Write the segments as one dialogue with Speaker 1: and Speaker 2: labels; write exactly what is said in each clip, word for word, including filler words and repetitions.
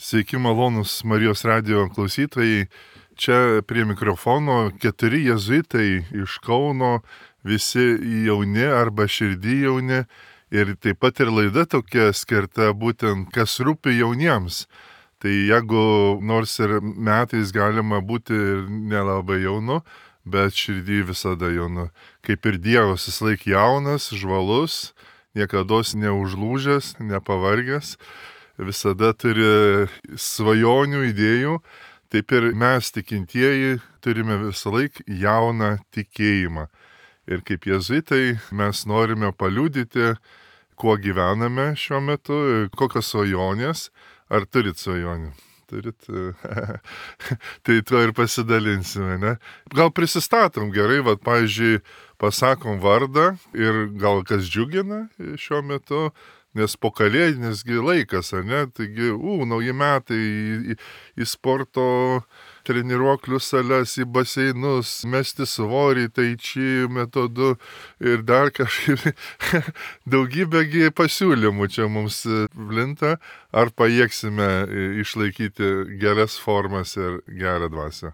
Speaker 1: Sveiki malonūs Marijos radijo klausytojai. Čia prie mikrofono keturi jėzuitai iš Kauno, visi jauni arba širdį jauni. Ir taip pat ir laida tokia skirta būtent, kas rūpi jauniems. Tai jeigu nors ir metais galima būti ir nelabai jaunu, bet širdį visada jaunu. Kaip ir Dievas, jis laik jaunas, žvalus, niekados neužlūžęs, nepavargęs. Visada turi svajonių, idėjų, taip ir mes tikintieji turime visą laiką jauną tikėjimą. Ir kaip jėzuitai mes norime paliudyti, kuo gyvename šiuo metu, kokios svajonės, ar turit svajonių. Turit, tai tuo ir pasidalinsime, ne? Gal prisistatom gerai, vat, pavyzdžiui, pasakom vardą ir gal kas džiugina šiuo metu, nes po kalėdinisgi laikas, ar ne? Taigi, u, nauji metai į, į sporto treniruoklių sales, į baseinus, mesti svorį, tai čia metodu ir dar kažkaip daugybėgi pasiūlymų čia mums plinta. Ar pajėgsime išlaikyti geras formas ir gerą dvasią?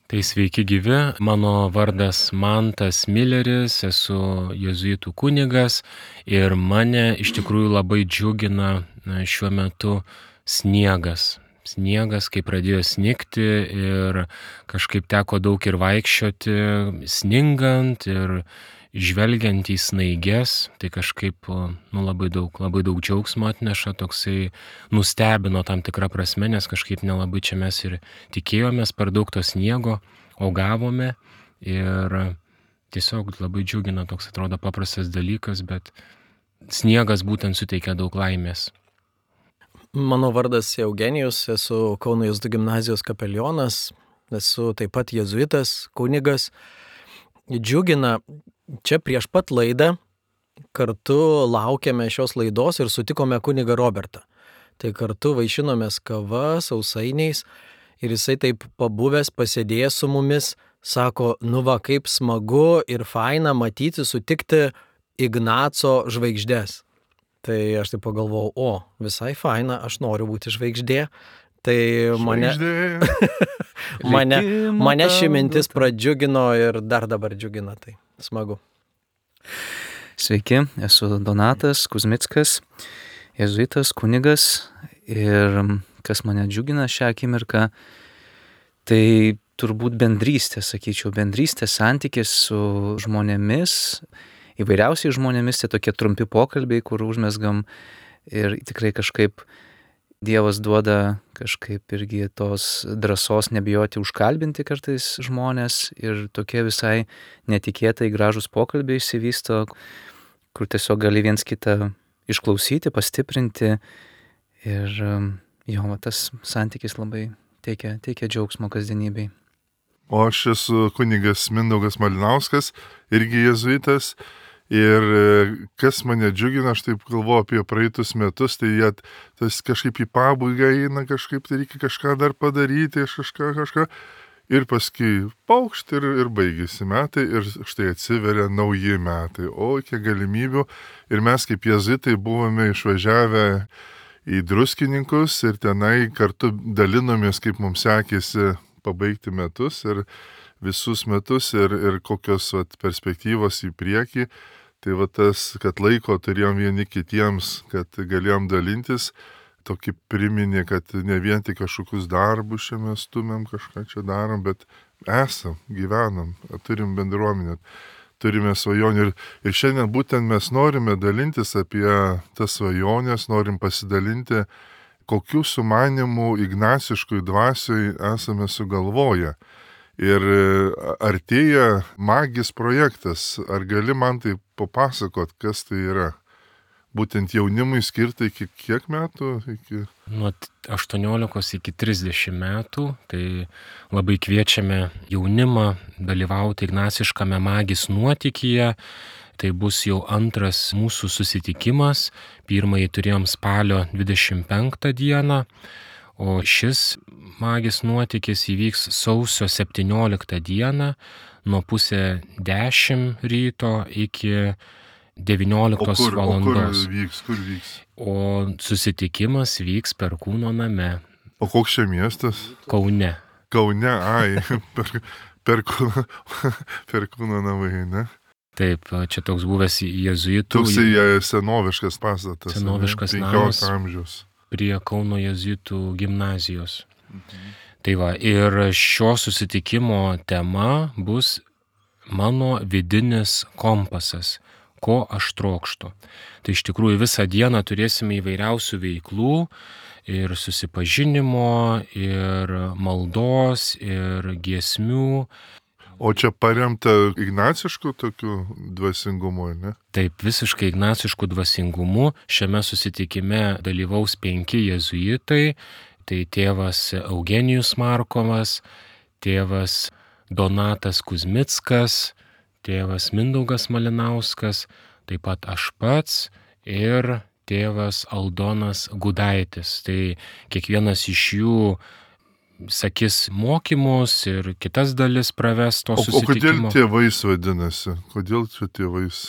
Speaker 2: Tai sveiki gyvi, mano vardas Mantas Mileris, esu jėzuitų kunigas ir mane iš tikrųjų labai džiugina šiuo metu sniegas. Sniegas, kai pradėjo snigti ir kažkaip teko daug ir vaikščioti, sningant ir žvelgiant į snaiges, tai kažkaip nu, labai daug, labai daug džiaugsmo atneša, toksai nustebino tam tikrą prasme, nes kažkaip nelabai čia mes ir tikėjomės per daug to sniego, o gavome ir tiesiog labai džiugina, toks atrodo paprastas dalykas, bet sniegas būtent suteikia daug laimės.
Speaker 3: Mano vardas Eugenijus, esu Kauno jėzuitų gimnazijos kapelionas, esu taip pat jėzuitas, kunigas. Džiugina, čia prieš pat laidą kartu laukėme šios laidos ir sutikome kunigą Robertą. Tai kartu vaišinomės kava, sausainiais ir jisai taip pabuvęs, pasėdėjęs su mumis, sako, nu va, kaip smagu ir faina matyti, sutikti Ignaco žvaigždės. Tai aš taip pagalvojau, o, visai faina, aš noriu būti žvaigždė. Tai mane, mane, mane ši mintis pradžiugino ir dar dabar džiugina, tai smagu.
Speaker 4: Sveiki, esu Donatas Kuzmickas, jėzuitas, kunigas ir kas mane džiugina šią akimirką, tai turbūt bendrystė, sakyčiau, bendrystė, santykis su žmonėmis, įvairiausiai žmonėmis, tai tokie trumpi pokalbiai, kur užmesgam ir tikrai kažkaip Dievas duoda kažkaip irgi tos drąsos nebijoti užkalbinti kartais žmonės ir tokie visai netikėtai gražus pokalbiai išsivysto, kur tiesiog gali viens kitą išklausyti, pastiprinti ir jo, tas santykis labai teikia, teikia džiaugsmo kasdienybei.
Speaker 1: O aš esu kunigas Mindaugas Malinauskas, irgi jėzuitas. Ir kas mane džiugina, aš taip galvoju apie praeitus metus, tai jie tas kažkaip į pabaigą eina, kažkaip tai reikia kažką dar padaryti, kažką, kažką. Ir paskui paukšt ir, ir baigėsi metai ir štai atsiveria nauji metai. O, kiek galimybių. Ir mes kaip jėzuitai buvome išvažiavę į Druskininkus ir tenai kartu dalinomės, kaip mums sekėsi pabaigti metus ir visus metus ir, ir kokios vat, perspektyvos į priekį. Tai va tas, kad laiko turėjom vieni kitiems, kad galėjom dalintis, tokį priminė, kad ne vien tik kažkokius darbus čia mes stumėm, kažką čia darom, bet esam, gyvenam, turim bendruomenę, turime svajonių. Ir, ir šiandien būtent mes norime dalintis apie tas svajonės, norim pasidalinti, kokių sumanimų ignaciškui dvasioj esame sugalvoję. Ir artėja magis projektas. Ar gali man tai papasakot, kas tai yra? Būtent jaunimui skirta iki kiek metų? Iki...
Speaker 2: Nuo aštuoniolikos iki trisdešimt metų. Tai labai kviečiame jaunimą dalyvauti ignaciškame magis nuotykyje. Tai bus jau antras mūsų susitikimas. Pirmąjį turėjom spalio dvidešimt penktą dieną. O šis magis nuotykis įvyks sausio septynioliktą dieną nuo pusė dešimt ryto iki devynioliktos
Speaker 1: o kur,
Speaker 2: valandos.
Speaker 1: O kur vyks, kur vyks?
Speaker 2: O susitikimas vyks Perkūno name.
Speaker 1: O koks čia miestas?
Speaker 2: Kaune.
Speaker 1: Kaune, ai, per, per, kūną, per kūną namai, ne?
Speaker 2: Taip, čia toks buvęs jėzuitų.
Speaker 1: Toksai senoviškas pastatas.
Speaker 2: Senoviškas namas.
Speaker 1: penkiolikto amžiaus.
Speaker 2: Prie Kauno jėzuitų gimnazijos. Mhm. Tai va, ir šio susitikimo tema bus mano vidinis kompasas, ko aš trokštu. Tai iš tikrųjų visą dieną turėsime įvairiausių veiklų ir susipažinimo, ir maldos, ir giesmių.
Speaker 1: O čia paremta ignacišku tokiu dvasingumu, ne?
Speaker 2: Taip, visiškai ignacišku dvasingumu. Šiame susitikime dalyvaus penki jėzuitai. Tai tėvas Eugenijus Markovas, tėvas Donatas Kuzmickas, tėvas Mindaugas Malinauskas, taip pat aš pats ir tėvas Aldonas Gudaitis. Tai kiekvienas iš jų sakys mokymus ir kitas dalis praves to
Speaker 1: o,
Speaker 2: susitikimo.
Speaker 1: O kodėl tėvais vadinasi? Kodėl čia tėvais?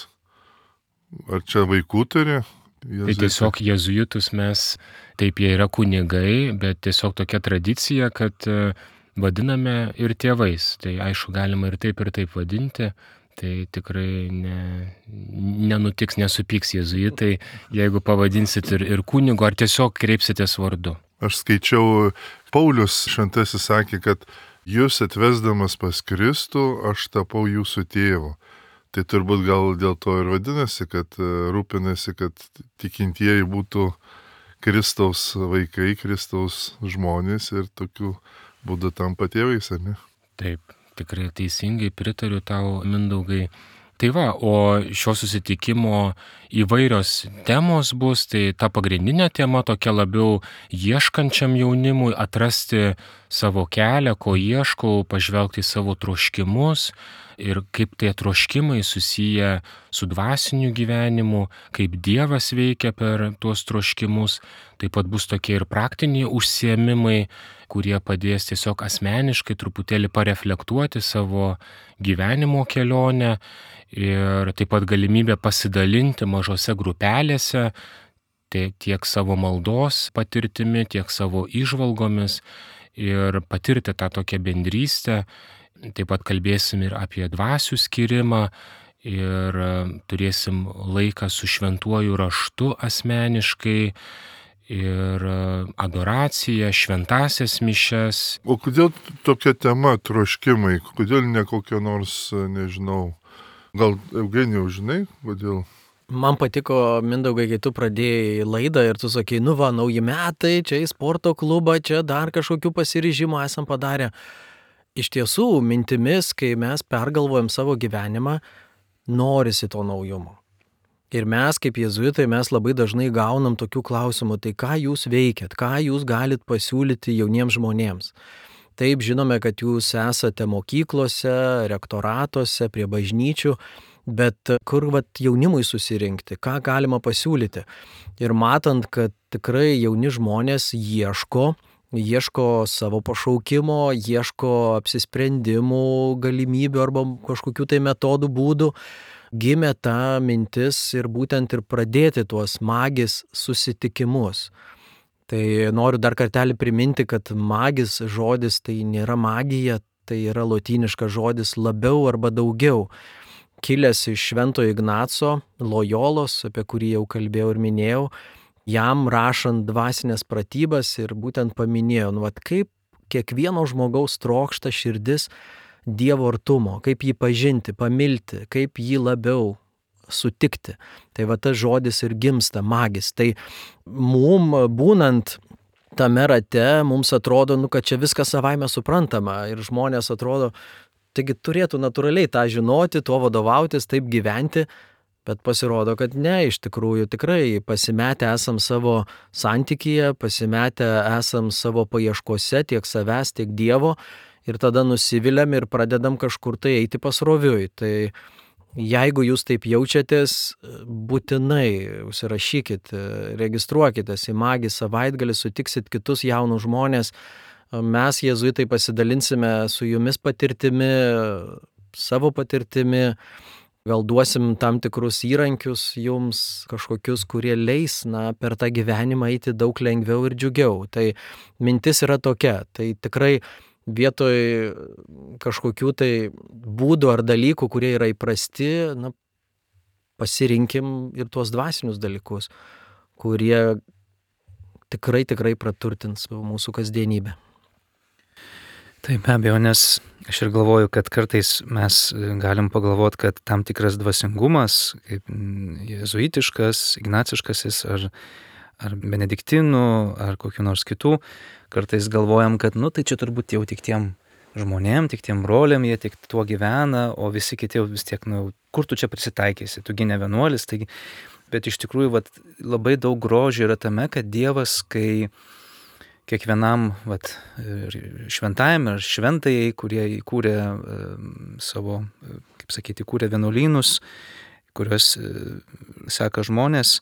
Speaker 1: Ar čia vaikų turi? Jėzuitai.
Speaker 2: Tai tiesiog jėzuitus mes, taip jie yra kunigai, bet tiesiog tokia tradicija, kad vadiname ir tėvais. Tai aišku, galima ir taip, ir taip vadinti. Tai tikrai ne, nenutiks, nesupyks jėzuitai, jeigu pavadinsit ir, ir kunigo, ar tiesiog kreipsitės vardu.
Speaker 1: Aš skaičiau, Paulius šventasis sakė, kad jūs atvesdamas pas Kristų, aš tapau jūsų tėvu. Tai turbūt gal dėl to ir vadinasi, kad rūpinasi, kad tikintieji būtų Kristaus vaikai, Kristaus žmonės ir tokiu būdu tampa tėvais, ar ne?
Speaker 2: Taip, tikrai teisingai pritariu tau, Mindaugai. Tai va, o šio susitikimo įvairios temos bus, tai ta pagrindinė tema tokia labiau ieškančiam jaunimui atrasti savo kelią, ko ieškau, pažvelgti į savo troškimus ir kaip tie troškimai susiję su dvasiniu gyvenimu, kaip Dievas veikia per tuos troškimus. Taip pat bus tokie ir praktiniai užsiėmimai, kurie padės tiesiog asmeniškai truputėlį pareflektuoti savo gyvenimo kelionę ir taip pat galimybė pasidalinti mažose grupelėse tiek savo maldos patirtimi, tiek savo įžvalgomis ir patirti tą tokią bendrystę. Taip pat kalbėsim ir apie dvasių skirimą ir turėsim laiką su šventuoju raštu asmeniškai ir adoraciją, šventasias mišias.
Speaker 1: O kodėl tokia tema troškimai? Kodėl ne kokia nors, nežinau, gal Eugenijau, žinai, kodėl?
Speaker 3: Man patiko, Mindaugai, kai tu pradėjai laidą ir tu sakai, nu va, nauji metai, čia į sporto klubą, čia dar kažkokių pasiryžimų esam padarę. Iš tiesų, mintimis, kai mes pergalvojam savo gyvenimą, norisi to naujumo. Ir mes, kaip jėzuitai, mes labai dažnai gaunam tokių klausimų, tai ką jūs veikiat, ką jūs galit pasiūlyti jauniems žmonėms. Taip, žinome, kad jūs esate mokyklose, rektoratuose, prie bažnyčių, bet kur vat, jaunimui susirinkti, ką galima pasiūlyti. Ir matant, kad tikrai jauni žmonės ieško, ieško savo pašaukimo, ieško apsisprendimų, galimybių arba kažkokių tai metodų, būdų, gimė ta mintis ir būtent ir pradėti tuos magis susitikimus. Tai noriu dar kartelį priminti, kad magis žodis tai nėra magija, tai yra lotyniškas žodis labiau arba daugiau. Kilęs iš Švento Ignaco Lojolos, apie kurį jau kalbėjau ir minėjau, jam rašant dvasinės pratybas ir būtent paminėjo, nu, vat, kaip kiekvieno žmogaus trokšta širdis Dievo artumo, kaip jį pažinti, pamilti, kaip jį labiau sutikti. Tai va tas žodis ir gimsta magis. Tai mum būnant tame rate, mums atrodo, nu, kad čia viskas savaime suprantama ir žmonės atrodo, taigi turėtų natūraliai tą žinoti, tuo vadovautis, taip gyventi. Bet pasirodo, kad ne, iš tikrųjų tikrai pasimetę esam savo santykyje, pasimetę esam savo paieškose tiek savęs, tiek Dievo ir tada nusiviliam ir pradedam kažkur tai eiti pasroviui. Tai jeigu jūs taip jaučiatės, būtinai užsirašykit, registruokitės į magį savaitgalį, sutiksit kitus jaunus žmonės. Mes, jėzuitai, pasidalinsime su jumis patirtimi, savo patirtimi. gal duosim tam tikrus įrankius jums, kažkokius, kurie leis, na, per tą gyvenimą eiti daug lengviau ir džiugiau. Tai mintis yra tokia, tai tikrai vietoj kažkokių tai būdų ar dalykų, kurie yra įprasti, na, pasirinkim ir tuos dvasinius dalykus, kurie tikrai, tikrai praturtins mūsų kasdienybę.
Speaker 4: Taip, be abejo, nes aš ir galvoju, kad kartais mes galim pagalvoti, kad tam tikras dvasingumas, kaip jėzuitiškas, ignaciškasis ar, ar benediktinų, ar kokių nors kitų, kartais galvojam, kad, nu, tai čia turbūt jau tik tiem žmonėm, tik tiem broliam, jie tik tuo gyvena, o visi kiti jau vis tiek, nu, kur tu čia prisitaikysi, tu gi ne vienuolis, taigi, bet iš tikrųjų, vat, labai daug grožio yra tame, kad Dievas, kai kiekvienam vat, šventajam ar šventajai, kurie įkūrė e, savo, kaip sakyti, įkūrė vienuolynus, kuriuos e, seka žmonės,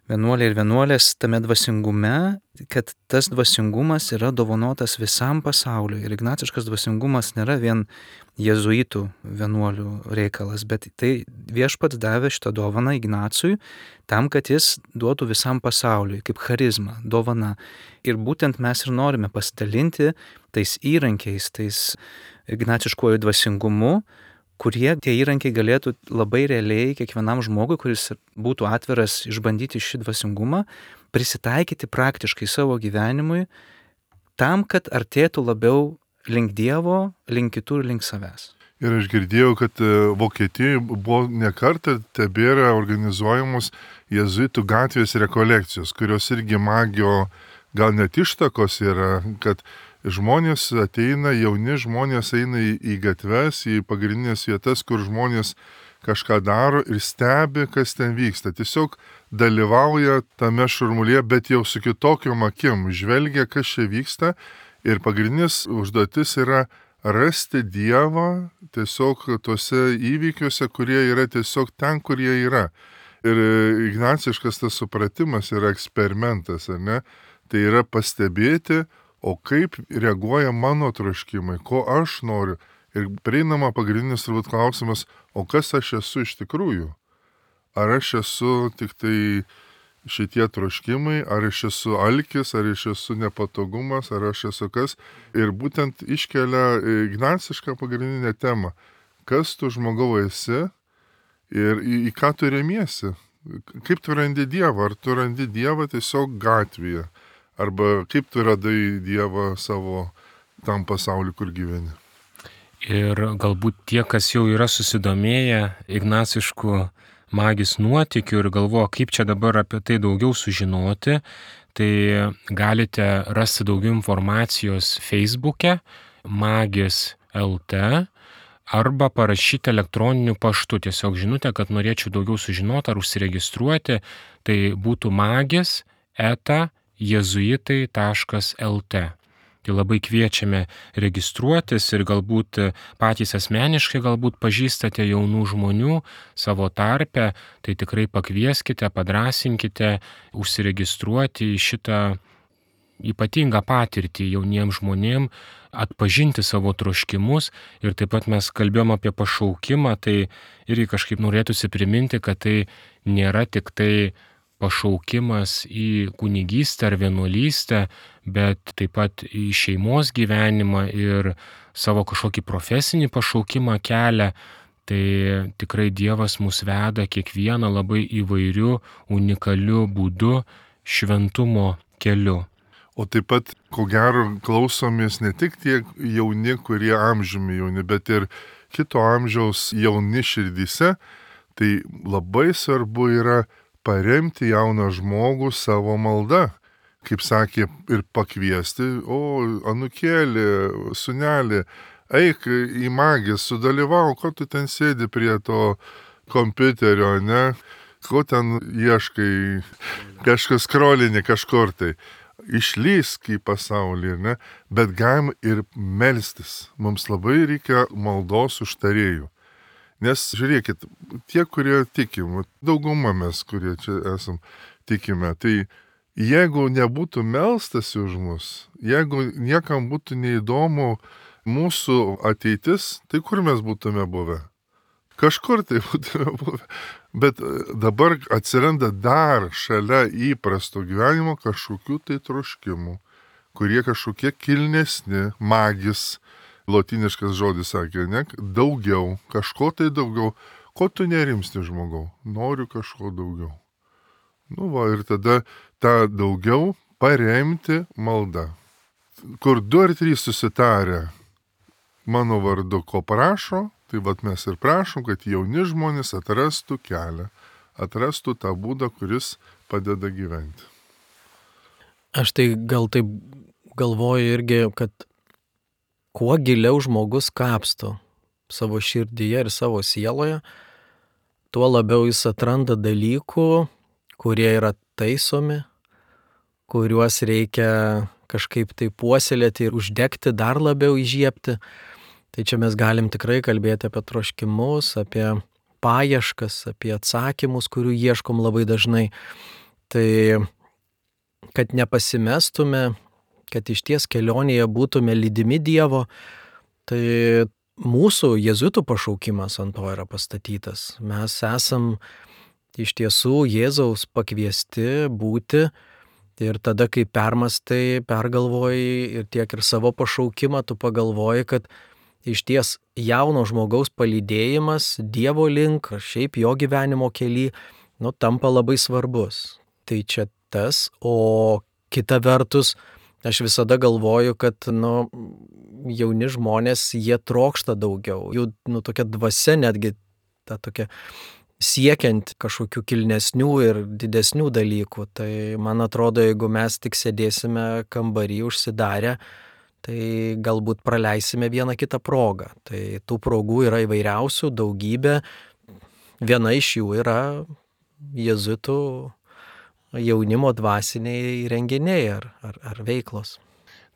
Speaker 4: vienuoliai ir vienuolės tame dvasingume, kad tas dvasingumas yra dovanotas visam pasauliui. Ir ignaciškas dvasingumas nėra vien jėzuitų vienuolių reikalas, bet tai viešpats davė šitą dovaną Ignacui tam, kad jis duotų visam pasauliui kaip charizma, dovana. Ir būtent mes ir norime pasidalinti tais įrankiais, tais ignaciškuoju dvasingumu, kurie tie įrankiai galėtų labai realiai kiekvienam žmogui, kuris būtų atviras išbandyti šį dvasingumą, prisitaikyti praktiškai savo gyvenimui tam, kad artėtų labiau link Dievo, link kitų ir link savęs.
Speaker 1: Ir aš girdėjau, kad Vokietijoje buvo nekartą tebėra organizuojamos jėzuitų gatvės rekolekcijos, kurios irgi magio gal net ištakos yra, kad žmonės ateina, jauni žmonės eina į, į gatves, į pagrindinės vietas, kur žmonės kažką daro ir stebi, kas ten vyksta. Tiesiog dalyvauja tame šurmulyje, bet jau su kitokiom akim, žvelgia, kas čia vyksta. Ir pagrindinis užduotis yra rasti Dievą tiesiog tuose įvykiuose, kurie yra tiesiog ten, kur jie yra. Ir ignaciškas tas supratimas yra eksperimentas, ar ne? Tai yra pastebėti, o kaip reaguoja mano troškimai, ko aš noriu. Ir prieinama pagrindinis turbūt klausimas, o kas aš esu iš tikrųjų? Ar aš esu tik tai šitie troškimai, ar aš esu alkis, ar aš esu nepatogumas, ar aš esu kas? Ir būtent iškelia ignacišką pagrindinę temą. Kas tu žmogau esi ir į, į ką tu remiesi? Kaip tu randi Dievą? Ar tu randi Dievą tiesiog gatvėje? Arba kaip tu radai Dievą savo tam pasauliu, kur gyveni.
Speaker 2: Ir galbūt tie, kas jau yra susidomėję ignaciškų magis nuotykių ir galvoja, kaip čia dabar apie tai daugiau sužinoti, tai galite rasti daugiau informacijos Facebook'e magis L T arba parašyti elektroniniu paštu. Tiesiog žinutę, kad norėčiau daugiau sužinoti ar užsiregistruoti, tai būtų magis eta jėzuitai taškas el te. Tai labai kviečiame registruotis ir galbūt patys asmeniškai galbūt pažįstate jaunų žmonių savo tarpe, tai tikrai pakvieskite, padrasinkite užsiregistruoti į šitą ypatingą patirtį jauniems žmonėms, atpažinti savo troškimus. Ir taip pat mes kalbėjom apie pašaukimą, tai irgi kažkaip norėtųsi priminti, kad tai nėra tik tai pašaukimas į kunigystę ar vienuolystę, bet taip pat į šeimos gyvenimą ir savo kažkokį profesinį pašaukimą kelią. Tai tikrai Dievas mus veda kiekvieną labai įvairiu, unikaliu būdu šventumo keliu.
Speaker 1: O taip pat, ko gero, klausomės ne tik tie jauni, kurie amžiumi jauni, bet ir kito amžiaus jauni širdyse. Tai labai svarbu yra paremti jauną žmogų savo maldą. Kaip sakė, ir pakviesti, o anukėlį, sunelį, eik į magį, sudalyvau, ko tu ten sėdi prie to kompiuterio, ne? Ko ten ieškai, kažkas skrolinį kažkur tai. Išlysk į pasaulį, ne? Bet galim ir melstis. Mums labai reikia maldos užtarėjų. Nes žiūrėkit, tie, kurie tikim, dauguma mes, kurie čia esam, tikime, tai jeigu nebūtų melstasi už mus, jeigu niekam būtų neįdomu mūsų ateitis, tai kur mes būtume buvę? kažkur tai būtume buvę. Bet dabar atsiranda dar šalia įprasto gyvenimo kažkokių tai troškimų, kurie kažkokie kilnesni, magis, lotiniškas žodis sakė, ne, daugiau, kažko tai daugiau. Ko tu nerimsti, žmogau? Noriu kažko daugiau. Nu va, ir tada tą daugiau paremti malda. Kur du ar trys susitarę mano vardu, ko prašo, tai vat mes ir prašom, kad jauni žmonės atrastų kelią, atrastų tą būdą, kuris padeda gyventi.
Speaker 3: Aš tai gal taip galvoju irgi, kad kuo giliau žmogus kapsto savo širdyje ir savo sieloje, tuo labiau jis atranda dalykų, kurie yra taisomi, kuriuos reikia kažkaip tai puoselėti ir uždegti, dar labiau įžiebti. Tai čia mes galim tikrai kalbėti apie troškimus, apie paieškas, apie atsakymus, kurių ieškom labai dažnai. Tai kad nepasimestume, kad iš ties kelionėje būtume lydimi Dievo, tai mūsų jėzuitų pašaukimas ant to yra pastatytas. Mes esam iš tiesų Jėzaus pakviesti būti ir tada, kai permastai, pergalvoji ir tiek ir savo pašaukimą, tu pagalvoji, kad iš ties jauno žmogaus palydėjimas Dievo link, šiaip jo gyvenimo kely, nu, tampa labai svarbus. Tai čia tas, o kita vertus, aš visada galvoju, kad, nu, jauni žmonės, jie trokšta daugiau. Jų, nu, tokia dvasia netgi, ta tokia siekiant kažkokių kilnesnių ir didesnių dalykų. Tai man atrodo, jeigu mes tik sėdėsime kambarį užsidarę, tai galbūt praleisime vieną kitą progą. Tai tų progų yra įvairiausių, daugybė. Viena iš jų yra jėzuitų jaunimo dvasiniai renginiai ar, ar, ar veiklos.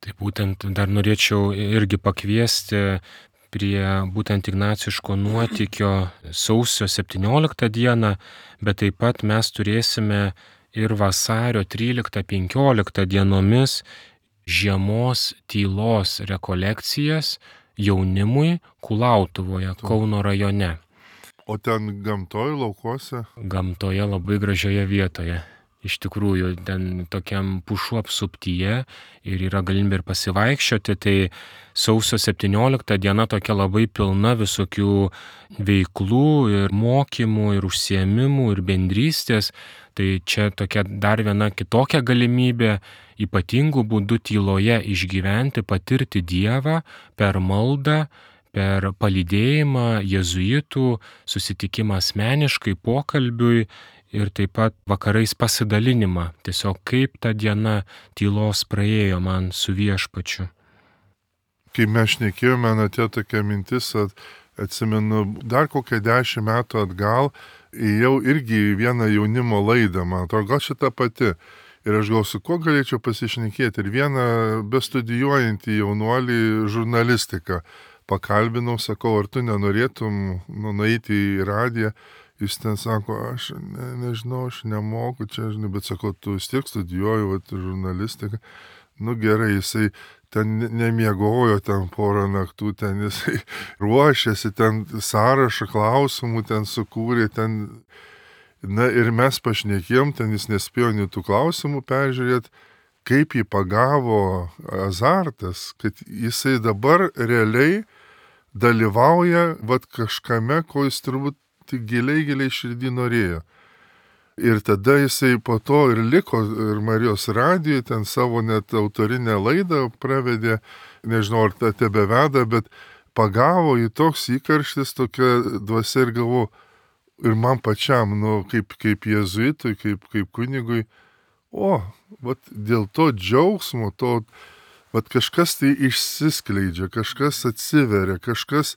Speaker 2: Tai būtent dar norėčiau irgi pakviesti prie būtent ignaciško nuotykio sausio septynioliktą dieną, bet taip pat mes turėsime ir vasario tryliktą penkioliktą dienomis žiemos tylos rekolekcijas jaunimui Kulautuvoje, Kauno rajone.
Speaker 1: O ten gamtoj, laukuose?
Speaker 2: Gamtoje labai gražioje vietoje. Iš tikrųjų, ten tokiam pušų apsuptyje ir yra galimybė ir pasivaikščioti, tai sausio septyniolikta diena tokia labai pilna visokių veiklų ir mokymų ir užsiėmimų ir bendrystės. Tai čia tokia dar viena kitokia galimybė ypatingų būdų tyloje išgyventi, patirti Dievą per maldą, per palydėjimą jėzuitų, susitikimą asmeniškai, pokalbiui ir taip pat vakarais pasidalinimą. Tiesiog kaip ta diena tylos praėjo man su Viešpačiu.
Speaker 1: Kai mes šnekėjome, atėjo tokia mintis, atsimenu, dar kokią dešimt metų atgal, ėjau irgi į vieną jaunimo laidą, man atrodo, gal šitą pati. Ir aš gal su kuo galėčiau pasišnekėti. Ir vieną bestudijuojantį jaunuolį žurnalistiką pakalbinau, sakau, ar tu nenorėtum nu, nueiti į radiją. Jis ten sako, aš ne, nežinau, aš nemoku čia, žinai, bet sako, tu vis tiek studijuoju vat, žurnalistiką. Nu gerai, jisai ten nemiegojo ten porą naktų, ten jisai ruošėsi, ten sąrašą klausimų ten sukūrė, ten... Na ir mes pašnekėjom, ten jis nespėjo nei tų klausimų peržiūrėti, kaip jį pagavo azartas, kad jisai dabar realiai dalyvauja vat kažkame, ko jis turbūt tik giliai, giliai širdį norėjo. Ir tada jisai po to ir liko ir Marijos radijoje, ten savo net autorinę laidą pravedė, nežinau, ar tą tebeveda, bet pagavo į toks įkarštis, tokia dvasia ir galvo, ir man pačiam, nu, kaip, kaip jėzuitui, kaip, kaip kunigui, o, vat dėl to džiaugsmo, to, vat kažkas tai išsiskleidžia, kažkas atsiveria, kažkas,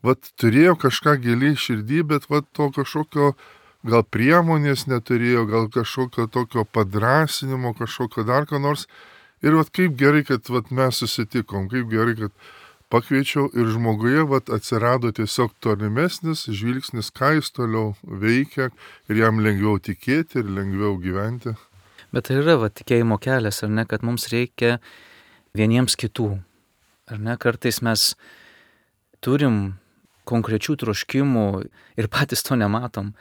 Speaker 1: vat turėjo kažką giliai širdį, bet vat to kažkokio, gal priemonės neturėjo, gal kažkokio tokio padrasinimo, kažkokio dar ką nors. Ir vat kaip gerai, kad vat mes susitikom, kaip gerai, kad pakviečiau ir žmoguje vat atsirado tiesiog tolimesnis žvilgsnis, ką jis toliau veikia ir jam lengviau tikėti ir lengviau gyventi.
Speaker 4: Bet tai yra va, tikėjimo kelias, ar ne, kad mums reikia vieniems kitų. Ar ne, kartais mes turim konkrečių troškimų ir patys to nematom,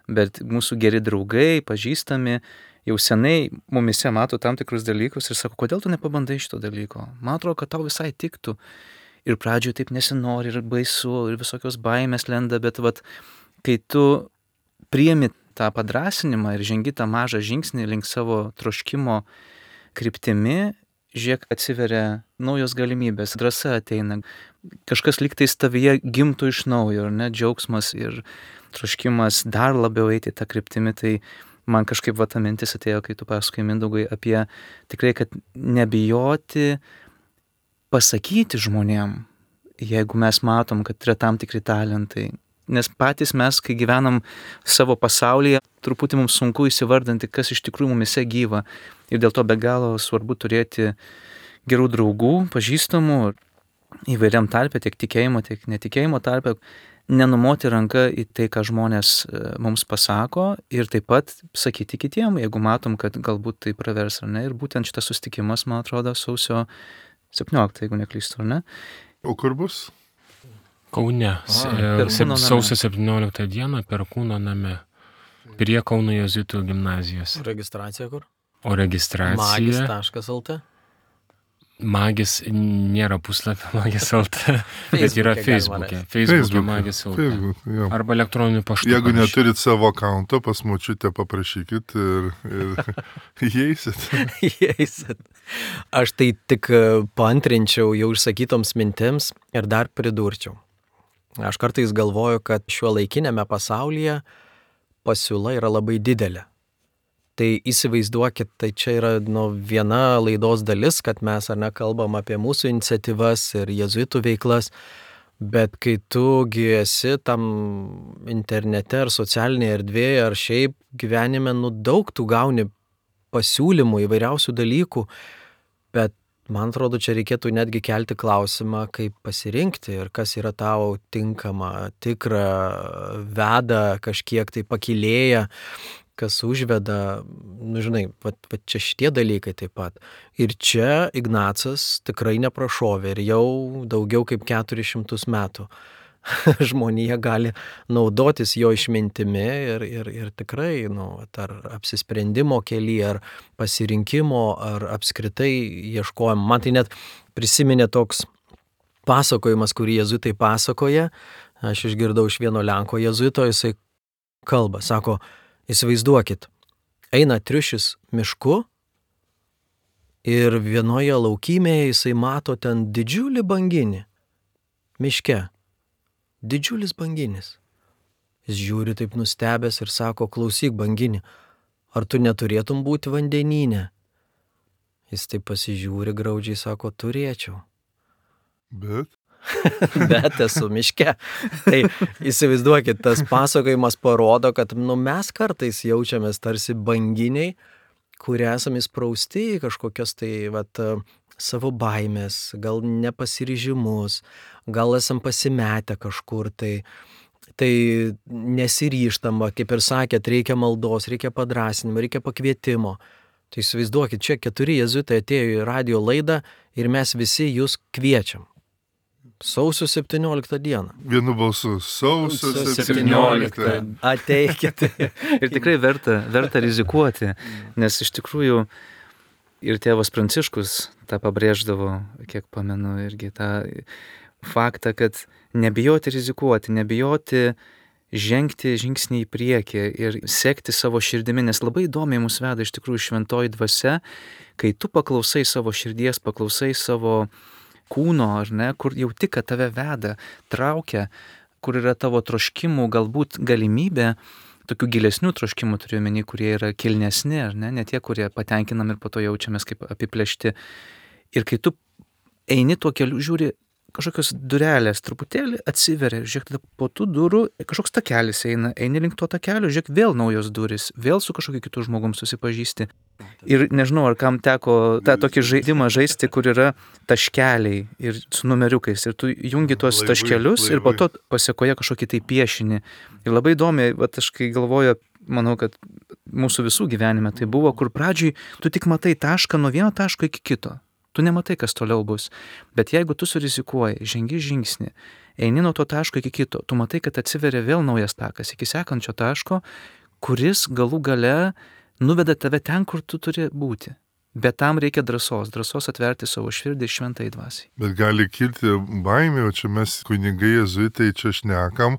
Speaker 4: bet mūsų geri draugai, pažįstami, jau senai mumise mato tam tikrus dalykus ir sako, kodėl tu nepabandai šito dalyko? Man atrodo, kad tau visai tiktų. Ir pradžioje taip nesinori, ir baisu, ir visokios baimės lenda, bet vat, kai tu priimi tą padrasinimą ir žengi tą mažą žingsnį link savo troškimo kryptimi, žiūrėk, atsiveria naujos galimybės, drąsa ateina, kažkas lygtais tavyje gimtų iš naujo, ar ne, džiaugsmas ir troškimas dar labiau eiti tą kryptimį, tai man kažkaip va ta mintis atėjo, kai tu pasakoji, Mindaugai, apie tikrai, kad nebijoti pasakyti žmonėm, jeigu mes matom, kad yra tam tikri talentai. Nes patys mes, kai gyvenam savo pasaulyje, truputį mums sunku įsivardinti, kas iš tikrųjų mumise gyva. Ir dėl to be galo svarbu turėti gerų draugų, pažįstamų, įvairiam tarpe, tiek tikėjimo, tiek netikėjimo tarpe, nenumoti ranką į tai, ką žmonės mums pasako ir taip pat sakyti kitiem, jeigu matom, kad galbūt tai pravers ar ne. Ir būtent šitas susitikimas, man atrodo, sausio septynioliktą, jeigu neklystu, ar ne?
Speaker 1: O kur bus?
Speaker 2: Kaune. Sausio septynioliktą dieną Perkūno name. Prie Kauno jėzuitų gimnazijos.
Speaker 3: Registracija kur?
Speaker 2: O registracija...
Speaker 3: magis taškas lt.
Speaker 2: Magis nėra puslapio magis lt, bet yra Facebook'e. Facebook'e magis lt.
Speaker 1: Facebook, jo.
Speaker 2: Arba elektroniniu paštu.
Speaker 1: Jeigu
Speaker 2: parašykit.
Speaker 1: neturit savo akaunto, pas močiutę paprašykit ir, ir įeisit.
Speaker 3: Įeisit. Aš tai tik paantrinčiau jau išsakytoms mintims ir dar pridurčiau. Aš kartais galvoju, kad šiuo laikinėme pasaulyje pasiūla yra labai didelė. Tai įsivaizduokit, tai čia yra nu, viena laidos dalis, kad mes ar ne kalbam apie mūsų iniciatyvas ir jėzuitų veiklas, bet kai tugi esi tam internete ar socialinėje erdvėje ar šiaip gyvenime, nu daug tu gauni pasiūlymų įvairiausių dalykų, bet man atrodo, čia reikėtų netgi kelti klausimą, kaip pasirinkti ir kas yra tau tinkama, tikra, veda kažkiek tai pakilėja, kas užveda, nu žinai, va, va čia šitie dalykai taip pat. Ir čia Ignacas tikrai neprašovė ir jau daugiau kaip keturis šimtus metų žmonija gali naudotis jo išmintimi ir, ir, ir tikrai, nu, ar apsisprendimo kely, ar pasirinkimo, ar apskritai ieškojimo. Man tai net prisiminė toks pasakojimas, kurį jėzuitai pasakoja. Aš išgirdau iš vieno lenko jėzuito, jisai kalba, sako, įsivaizduokit, eina triušis mišku ir vienoje laukymėje jisai mato ten didžiulį banginį miške. Didžiulis banginis. Jis žiūri taip nustebęs ir sako, klausyk banginį, ar tu neturėtum būti vandenyne? Jis taip pasižiūri graudžiai, sako, turėčiau.
Speaker 1: Bet?
Speaker 3: Bet esu miške. Tai įsivaizduokit, tas pasakojimas parodo, kad nu, mes kartais jaučiamės tarsi banginiai, kurie esame įsprausti į kažkokias tai vat, savo baimės, gal nepasiryžimus, gal esam pasimetę kažkur, tai, tai nesiryžtama, kaip ir sakėt, reikia maldos, reikia padrasinimo, reikia pakvietimo. Tai įsivaizduokit, čia keturi jėzuitai atėjo į radio laidą ir mes visi jūs kviečiam. Sausio septynioliktą dieną.
Speaker 1: Vienu balsu. Sausio
Speaker 3: septynioliktą. Ateikit.
Speaker 4: Ir tikrai verta, verta rizikuoti, nes iš tikrųjų ir tėvas Pranciškus tą pabrėždavo, kiek pamenu, irgi tą faktą, kad nebijoti rizikuoti, nebijoti žengti žingsnį į priekį ir sekti savo širdimi, nes labai įdomiai mus veda iš tikrųjų šventoji dvasia, kai tu paklausai savo širdies, paklausai savo kūno, ar ne, kur jau tik, kad tave veda, traukia, kur yra tavo troškimų, galbūt galimybė, tokių gilesnių troškimų turiu omeny, kurie yra kilnesni, ar ne, ne tie, kurie patenkinam ir po to jaučiamės kaip apiplėšti. Ir kai tu eini tuo keliu, žiūri, kažkokios durelės truputėlį atsiveria, žiūrėk, tada po tų durų kažkoks takelis eina, eini link to takelio, žiūrėk, vėl naujos durys, vėl su kažkokiu kitu žmogum susipažįsti. Ir nežinau, ar kam teko tą tokį žaidimą žaisti, kur yra taškeliai ir su numeriukais, ir tu jungi tuos
Speaker 1: Laivai,
Speaker 2: laivai.
Speaker 4: taškelius ir po to pasiekoje kažkokį tai piešinį. Ir labai įdomiai, vat aš kai galvoju, manau, kad mūsų visų gyvenime tai buvo, kur pradžiai tu tik matai tašką nuo vieno taško iki kito. Tu nematai, kas toliau bus. Bet jeigu tu surizikuoji, žengi žingsnį, eini nuo to taško iki kito, tu matai, kad atsiveria vėl naujas takas iki sekančio taško, kuris galų gale nuveda tave ten, kur tu turi būti. Bet tam reikia drąsos, drąsos atverti savo širdį šventai dvasiai.
Speaker 1: Bet gali kilti baimė, o čia mes kunigai jėzuitai čia šnekam,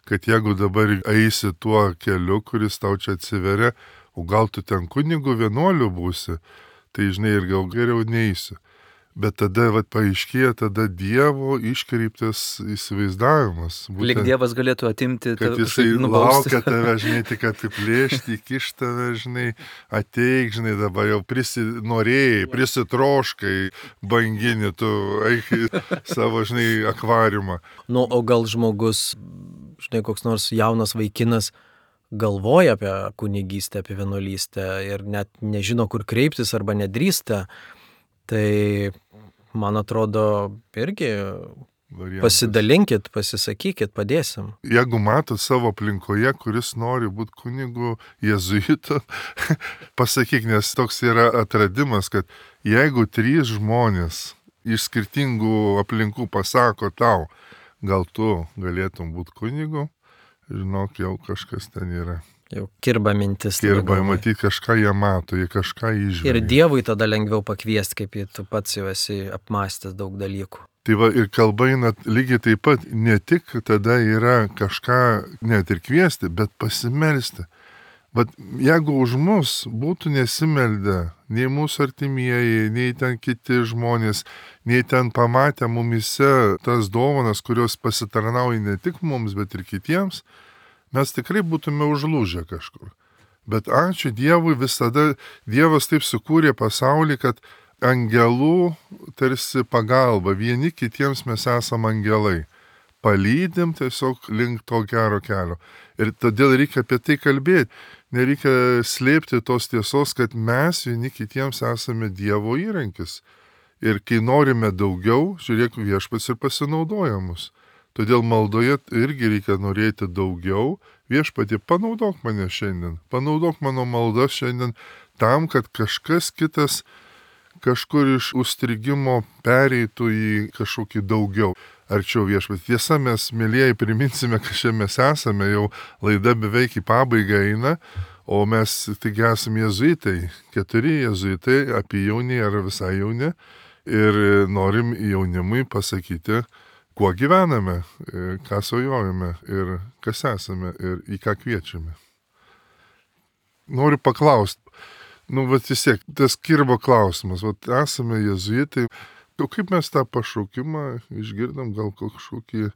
Speaker 1: kad jeigu dabar eisi tuo keliu, kuris tau čia atsiveria, o gal tu ten kunigų vienuolių būsi, tai žinai ir gal geriau neisi. Bet tada vat, paaiškėja tada Dievo iškreiptas įsivaizdavimas. Būtent,
Speaker 4: lyg Dievas galėtų atimti
Speaker 1: kad
Speaker 4: tave,
Speaker 1: jisai
Speaker 4: nubausti.
Speaker 1: laukia tave, žinai, tik apiplėšti, įkišti tave, žinai, ateik, žinai, dabar jau prisinorėjai, prisitroškai, bangini, tu eik į savo, žinai, akvariumą.
Speaker 3: Nu, o gal žmogus, žinai, koks nors jaunas vaikinas galvoja apie kunigystę, apie vienuolystę ir net nežino, kur kreiptis arba nedrįsta, tai, man atrodo, irgi variantas. Pasidalinkit, pasisakykit, padėsim.
Speaker 1: Jeigu matot savo aplinkoje, kuris nori būti kunigu jėzuitu, pasakyk, nes toks yra atradimas, kad jeigu trys žmonės iš skirtingų aplinkų pasako tau, gal tu galėtum būti kunigu, žinok, jau kažkas ten yra.
Speaker 3: Jau kirba mintis.
Speaker 1: Kirba, matyti, kažką jie mato, jie kažką įžvelgia.
Speaker 3: Ir Dievui tada lengviau pakviesti, kaip tu pats jau esi apmąstęs daug dalykų.
Speaker 1: Tai va, ir kalba eina lygiai taip pat, ne tik tada yra kažką net ir kviesti, bet pasimelsti. Bet jeigu už mus būtų nesimeldę, nei mūsų artimieji, nei ten kiti žmonės, nei ten pamatę mumise tas dovanas, kurios pasitarnauja ne tik mums, bet ir kitiems, mes tikrai būtume užlūžę kažkur. Bet ačiū Dievui, visada Dievas taip sukūrė pasaulį, kad angelų tarsi pagalba, vieni kitiems mes esam angelai. Palydim tiesiog link to gero kelio. Ir todėl reikia apie tai kalbėti. Nereikia slėpti tos tiesos, kad mes vieni kitiems esame Dievo įrankis. Ir kai norime daugiau, žiūrėk, viešpats ir pasinaudoja mus. Todėl maldoje irgi reikia norėti daugiau. Viešpatie, panaudok mane šiandien, panaudok mano maldą šiandien tam, kad kažkas kitas kažkur iš užstrigimo pereitų į kažkokį daugiau. Arčiau viešpatie. Tiesa, mes, mėlyjeji, priminsime, kad čia mes esame, jau laida beveik į pabaigą eina, o mes tik esame jėzuitai, keturi jėzuitai, apie jaunį ar visai jauni, ir norim jaunimui pasakyti, kuo gyvename, ką svajojame ir kas esame ir į ką kviečiame. Noriu paklausti, nu, bet vis tiek, tas kirba klausimas, vat esame jėzuitai, o kaip mes tą pašaukimą išgirdam, gal kažkokį,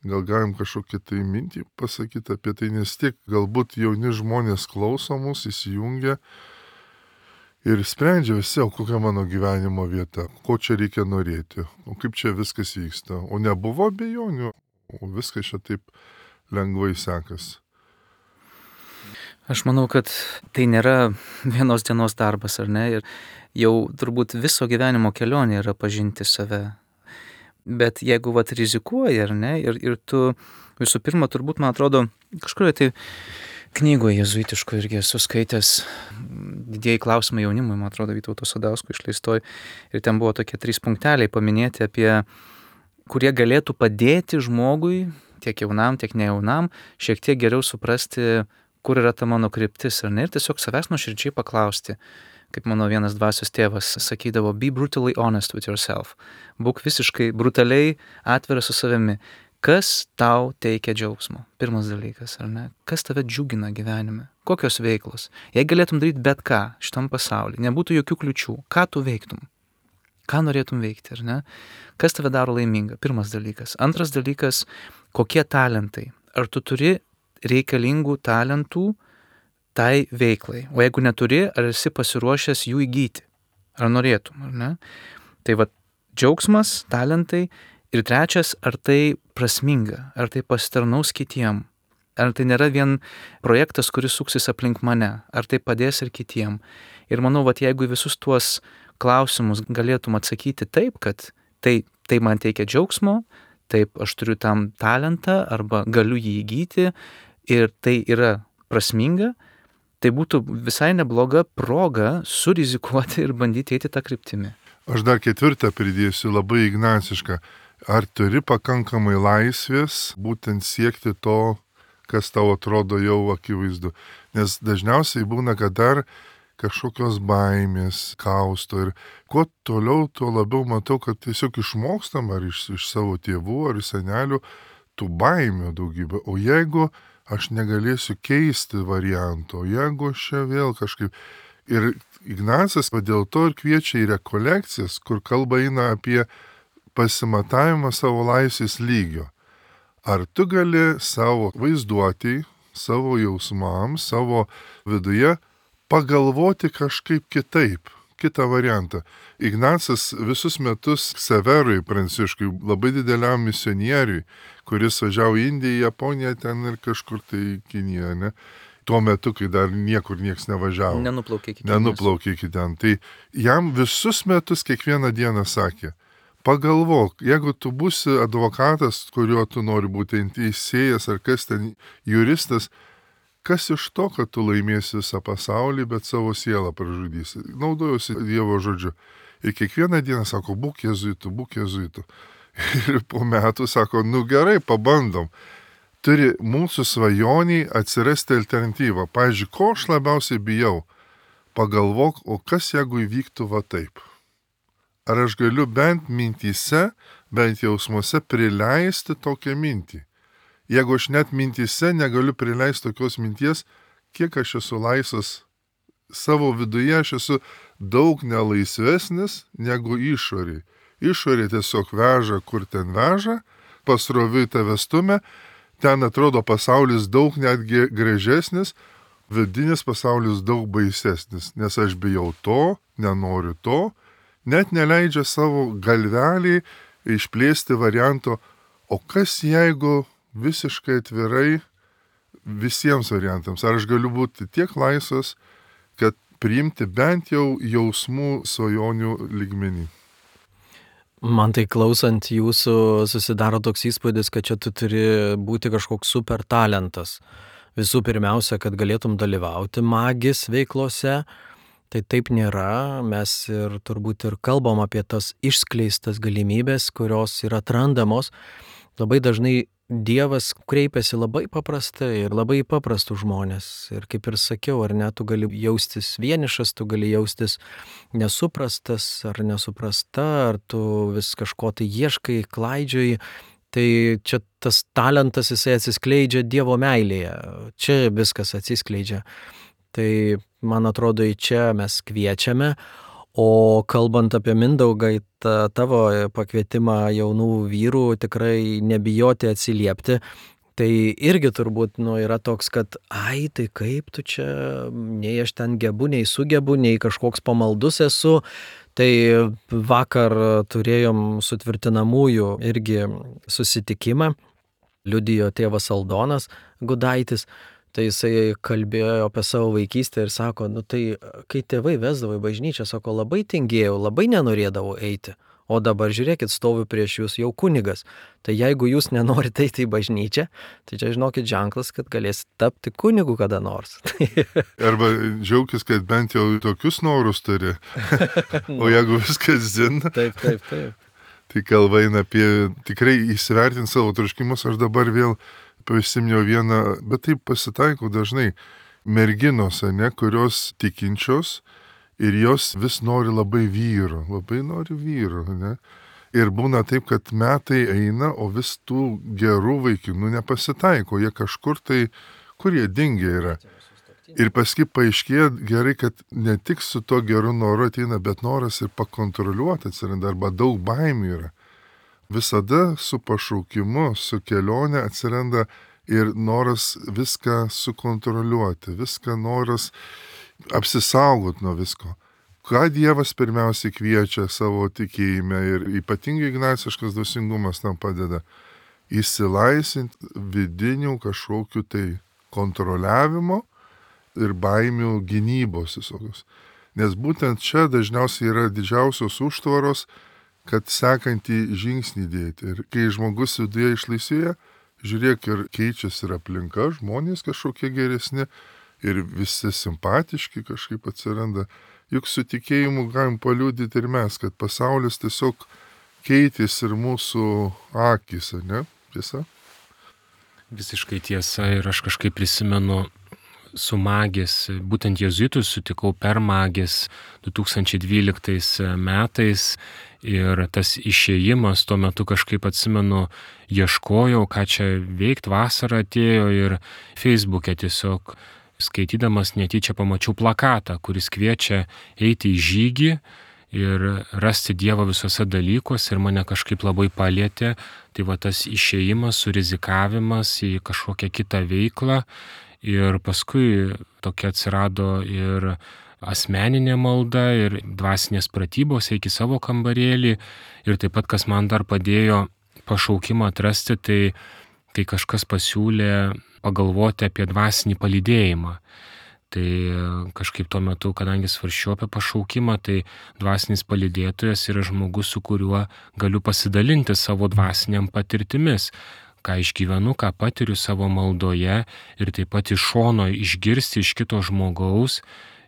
Speaker 1: gal galim kažkokį tai mintį pasakyti apie tai, nes tiek galbūt jauni žmonės klauso mus, įsijungia ir sprendžia visi, o kokia mano gyvenimo vieta, ko čia reikia norėti, o kaip čia viskas vyksta. O nebuvo abejonių, o viskas čia taip lengvai sekas.
Speaker 4: Aš manau, kad tai nėra vienos dienos darbas, ar ne? Ir jau turbūt viso gyvenimo kelionė yra pažinti save. Bet jeigu vat rizikuoji, ar ne? Ir, ir tu visų pirma, turbūt, man atrodo, kažkurioje tai knygoje jėzuitiško irgi esu skaitęs didieji klausimai jaunimui, man atrodo, Vytauto Sadausko išleistoj. Ir ten buvo tokie trys punkteliai paminėti apie, kurie galėtų padėti žmogui, tiek jaunam, tiek nejaunam, šiek tiek geriau suprasti, kur yra ta mano kryptis, ar ne? Ir tiesiog savęs nuoširdžiai paklausti, kaip mano vienas dvasios tėvas sakydavo, be brutally honest with yourself. Būk visiškai brutaliai atviras su savimi. Kas tau teikia džiaugsmo? Pirmas dalykas, ar ne? Kas tave džiugina gyvenime? Kokios veiklos? Jei galėtum daryti bet ką šitam pasaulyje, nebūtų jokių kliučių, ką tu veiktum? Ką norėtum veikti, ar ne? Kas tave daro laimingą? Pirmas dalykas. Antras dalykas, kokie talentai? Ar tu turi reikalingų talentų tai veiklai? O jeigu neturi, ar esi pasiruošęs jų įgyti? Ar norėtum, ar ne? Tai va, džiaugsmas, talentai. Ir trečias, ar tai prasminga, ar tai pasitarnaus kitiem, ar tai nėra vien projektas, kuris suksis aplink mane, ar tai padės ir kitiem. Ir manau, vat, jeigu visus tuos klausimus galėtum atsakyti taip, kad tai, tai man teikia džiaugsmo, taip aš turiu tam talentą arba galiu jį įgyti ir tai yra prasminga, tai būtų visai nebloga proga surizikuoti ir bandyti eiti tą kryptimį.
Speaker 1: Aš dar ketvirtą pridėsiu, labai ignacišką. Ar turi pakankamai laisvės būtent siekti to, kas tau atrodo jau akivaizdu. Nes dažniausiai būna, kad dar kažkokios baimės kausto ir kuo toliau, tuo labiau matau, kad tiesiog išmokstam ar iš, iš savo tėvų ar senelių tų baimių daugybę. O jeigu aš negalėsiu keisti varianto, jeigu aš čia vėl kažkaip... Ir Ignacas dėl to ir kviečia į rekolekcijas, kur kalba eina apie pasimatavimą savo laisvės lygio. Ar tu gali savo vaizduotį, savo jausmams, savo viduje pagalvoti kažkaip kitaip, kitą variantą. Ignacas visus metus Severui Pranciškui, labai dideliam misionieriui, kuris važiavo į Indiją, Japoniją, ten ir kažkur tai Kiniją, ne? Tuo metu, kai dar niekur nieks nevažiavo.
Speaker 4: Nenuplaukė iki ten.
Speaker 1: Nenuplaukė iki ten. Tai jam visus metus kiekvieną dieną sakė, pagalvok, jeigu tu būsi advokatas, kuriuo tu nori būti teisėjas ar kas ten juristas, kas iš to, kad tu laimėsi visą pasaulį, bet savo sielą pražudysi. Naudojusi Dievo žodžiu. Ir kiekvieną dieną sako, būk jėzuitu, būk jėzuitu. Ir po metų sako, nu gerai, pabandom. Turi mūsų svajoniai atsirasti alternatyvą. Pavyzdžiui, ko aš labiausiai bijau? Pagalvok, o kas jeigu įvyktų va taip? Ar aš galiu bent mintyse, bent jausmuose prileisti tokią mintį? Jeigu aš net mintyse negaliu prileisti tokios minties, kiek aš esu laisvas savo viduje, aš esu daug nelaisvesnis negu išoriai. Išoriai tiesiog veža, kur ten veža, pasroviui tave stumia, ten atrodo pasaulis daug netgi gražesnis, vidinis pasaulis daug baisesnis, nes aš bijau to, nenoriu to, net neleidžia savo galvelį išplėsti varianto, o kas jeigu visiškai atvirai visiems variantams, ar aš galiu būti tiek laisvas, kad priimti bent jau jausmų svajonių lygmenį.
Speaker 3: Man tai klausant jūsų susidaro toks įspūdis, kad čia tu turi būti kažkoks super talentas. Visų pirmiausia, kad galėtum dalyvauti magis veiklose, tai taip nėra. Mes ir turbūt ir kalbam apie tas išskleistas galimybės, kurios yra atrandamos. Labai dažnai Dievas kreipiasi labai paprastai ir labai paprastų žmonės. Ir kaip ir sakiau, ar ne, tu gali jaustis vienišas, tu gali jaustis nesuprastas ar nesuprasta, ar tu vis kažko tai ieškai, klaidžioji. Tai čia tas talentas, jisai atsiskleidžia Dievo meilėje. Čia viskas atsiskleidžia. Tai man atrodo, į čia mes kviečiame. O kalbant apie Mindaugą, ta, tavo pakvietimą jaunų vyrų tikrai nebijoti atsiliepti, tai irgi turbūt nu, yra toks, kad ai, tai kaip tu čia, nei aš ten gebu, nei sugebu, nei kažkoks pamaldus esu. Tai vakar turėjom sutvirtinamųjų irgi susitikimą, liudijo tėvas Aldonas Gudaitis. Tai jisai kalbėjo apie savo vaikystę ir sako, nu tai kai tėvai vesdavo į bažnyčią, sako, labai tingėjau, labai nenorėdavau eiti. O dabar žiūrėkit, stoviu prieš jūs jau kunigas. Tai jeigu jūs nenorite eiti į bažnyčią, tai čia žinokit ženklas, kad galėsit tapti kunigu kada nors.
Speaker 1: Arba džiaugis, kad bent jau tokius norus turi. O jeigu viskas zina.
Speaker 3: Taip, taip, taip.
Speaker 1: Tai kalba eina apie tikrai įsivertinti savo troškimus. Aš dabar vėl prisiminiau vieną, bet taip pasitaiko dažnai merginos, ne, kurios tikinčios ir jos vis nori labai vyro, labai nori vyro, ne. Ir būna taip, kad metai eina, o vis tų gerų vaikinų nepasitaiko, jie kažkur tai, kur jie dingia yra. Ir paskui paaiškėja gerai, kad ne tik su to geru noru ateina, bet noras ir pakontroliuoti atsiranda, arba daug baimių yra. Visada su pašaukimu, su kelionė atsiranda ir noras viską sukontroliuoti, viską noras apsisaugoti nuo visko. Ką Dievas pirmiausiai kviečia savo tikėjime ir ypatingai ignaciškas dvasingumas tam padeda įsilaisinti vidinių kažkokių tai kontroliavimo ir baimių gynybos visokios. Nes būtent čia dažniausiai yra didžiausios užtvaros, kad sekantį žingsnį dėti. Ir kai žmogus viduje išlaisvėja, žiūrėk, ir keičiasi ir aplinka, žmonės kažkokie geresni ir visi simpatiški kažkaip atsiranda. Juk su tikėjimu galim paliudyti ir mes, kad pasaulis tiesiog keitėsi ir mūsų akis, ne? Tiesa?
Speaker 2: Visiškai tiesa ir aš kažkaip prisimenu su magės, būtent jėzuitus sutikau per magės du tūkstančiai dvyliktais metais ir tas išėjimas tuo metu kažkaip atsimenu, ieškojau, ką čia veikti, vasara atėjo ir Facebook'e tiesiog skaitydamas netyčia pamačiau plakatą, kuris kviečia eiti į žygį ir rasti Dievą visose dalykuose ir mane kažkaip labai palietė. Tai va tas išėjimas, surizikavimas į kažkokią kitą veiklą ir paskui tokia atsirado ir asmeninė malda ir dvasinės pratybos, eik į savo kambarėlį ir taip pat, kas man dar padėjo pašaukimą atrasti, tai kai kažkas pasiūlė pagalvoti apie dvasinį palydėjimą. Tai kažkaip tuo metu, kadangi svarsčiau apie pašaukimą, tai dvasinis palydėtojas yra žmogus, su kuriuo galiu pasidalinti savo dvasiniam patirtimis, ką išgyvenu, ką patiriu savo maldoje ir taip pat iš šono išgirsti iš kito žmogaus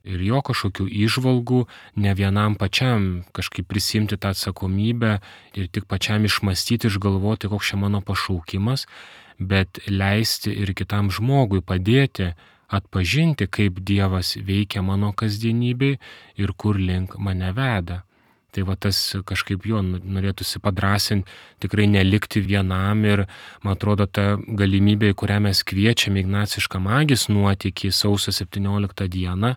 Speaker 2: ir jo kažkokių įžvalgų, ne vienam pačiam kažkaip prisimti tą atsakomybę ir tik pačiam išmastyti, išgalvoti, koks čia mano pašaukimas, bet leisti ir kitam žmogui padėti atpažinti, kaip Dievas veikia mano kasdienybėj ir kur link mane veda. Tai va tas kažkaip jo norėtųsi padrasinti, tikrai nelikti vienam ir, man atrodo, ta galimybė, į kurią mes kviečiame Ignacišką magės nuotykį sausio septynioliktą dieną,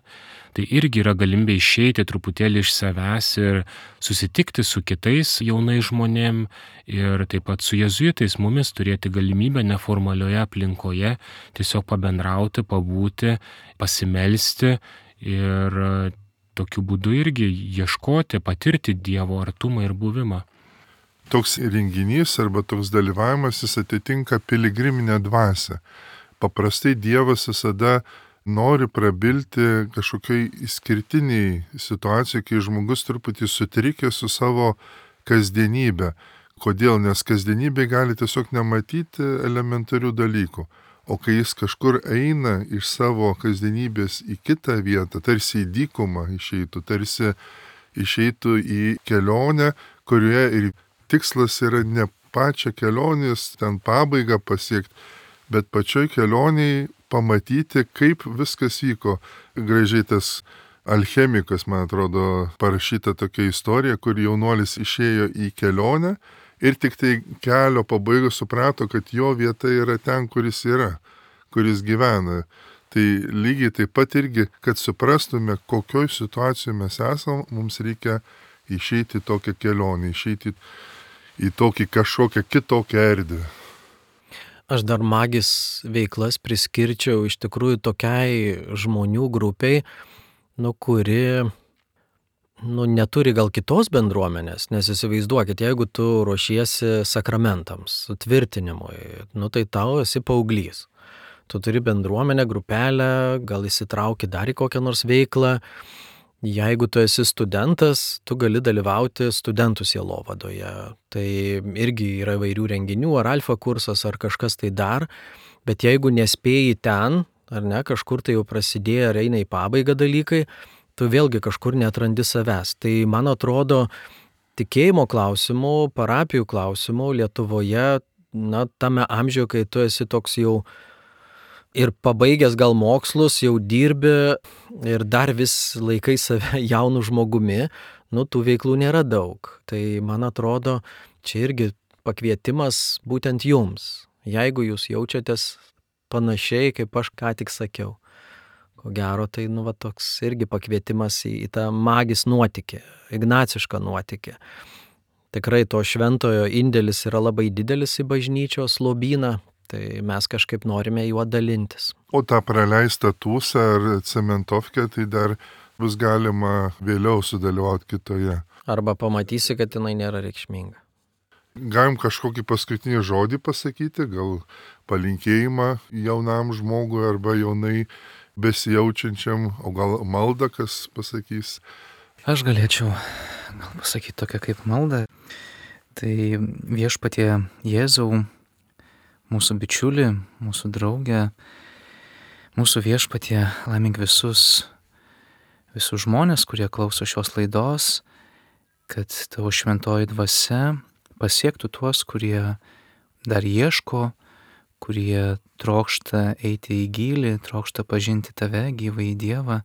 Speaker 2: tai irgi yra galimybė išeiti truputėlį iš savęs ir susitikti su kitais jaunais žmonėm ir taip pat su jėzuitais mumis turėti galimybę neformalioje aplinkoje tiesiog pabendrauti, pabūti, pasimelsti ir tokiu būdu irgi ieškoti, patirti Dievo artumą ir buvimą.
Speaker 1: Toks renginys arba toks dalyvavimas jis atitinka piligriminę dvasią. Paprastai Dievas visada nori prabilti kažkokiai išskirtiniai situacijai, kai žmogus truputį sutrikė su savo kasdienybė. Kodėl? Nes kasdienybė gali tiesiog nematyti elementarių dalykų. O kai jis kažkur eina iš savo kasdienybės į kitą vietą, tarsi į dykumą išeitų, tarsi išeitų į kelionę, kurioje ir tikslas yra ne pačią kelionės, ten pabaigą pasiekti, bet pačioj kelioniai pamatyti, kaip viskas vyko. Gražiai tas alchemikas, man atrodo, parašyta tokia istorija, kur jaunuolis išėjo į kelionę, ir tik tai kelio pabaigoje suprato, kad jo vieta yra ten, kuris yra, kuris gyvena. Tai lygiai taip pat irgi, kad suprastume, kokioj situacijoje mes esam, mums reikia išeiti į tokią kelionę, išeiti į tokį kažkokią kitokią erdvę.
Speaker 3: Aš dar magės veiklas priskirčiau iš tikrųjų tokiai žmonių grupiai, nu, kuri nu, neturi gal kitos bendruomenės, nes įsivaizduokit, jeigu tu ruošiesi sakramentams, sutvirtinimui, nu tai tau esi paauglys. Tu turi bendruomenę, grupelę, gal įsitrauki dar į kokią nors veiklą. Jeigu tu esi studentas, tu gali dalyvauti studentų sielovadoje. Tai irgi yra įvairių renginių, ar alfa kursas, ar kažkas tai dar. Bet jeigu nespėjai ten, ar ne, kažkur tai jau prasidėjo ar eina į pabaigą dalykai, tu vėlgi kažkur neatrandi savęs. Tai man atrodo, tikėjimo klausimų, parapijų klausimų Lietuvoje, na, tame amžiuje, kai tu esi toks jau ir pabaigęs gal mokslus, jau dirbi ir dar vis laikai save jaunų žmogumi, nu, tų veiklų nėra daug. Tai man atrodo, čia irgi pakvietimas būtent jums. Jeigu jūs jaučiatės panašiai, kaip aš ką tik sakiau. Ko gero, tai nu, va, toks irgi pakvietimas į, į tą magės nuotykį, ignacišką nuotykį. Tikrai to šventojo indėlis yra labai didelis į bažnyčios lobyną, tai mes kažkaip norime juo dalintis.
Speaker 1: O tą praleistą tūsą ar cementovkę, tai dar bus galima vėliau sudalyvauti kitoje.
Speaker 3: Arba pamatysi, kad jinai nėra reikšminga.
Speaker 1: Galim kažkokį paskutinį žodį pasakyti, gal palinkėjimą jaunam žmogui arba jaunai besijaučiančiam, o gal maldą kas pasakys?
Speaker 4: Aš galėčiau gal pasakyti tokią kaip maldą. Tai Viešpatie Jėzau, mūsų bičiulį, mūsų draugę, mūsų Viešpatie, laimink visus, visus žmonės, kurie klauso šios laidos kad tavo šventoji dvasia pasiektų tuos, kurie dar ieško, kurie trokšta eiti į gylį, trokšta pažinti tave, gyvąjį Dievą,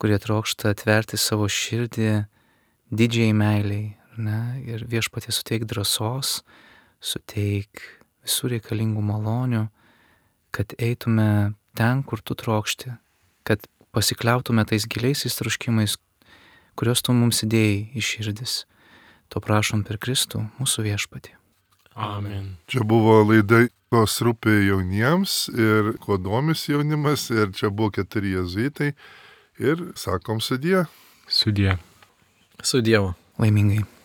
Speaker 4: kurie trokšta atverti savo širdį didžiai meiliai, ne? Ir Viešpatie suteik drąsos, suteik visų reikalingų malonių, kad eitume ten, kur tu trokšti, kad pasikliautume tais giliaisiais troškimais, kuriuos tu mums įdėjai į širdis. To prašom per Kristų, mūsų Viešpatį.
Speaker 2: Amen.
Speaker 1: Čia buvo laida, kas rūpi jauniems ir kuo domis jaunimas, ir čia buvo keturi jėzuitai ir sakom sudie.
Speaker 2: Sudie.
Speaker 3: Su Dievu.
Speaker 4: Laimingai.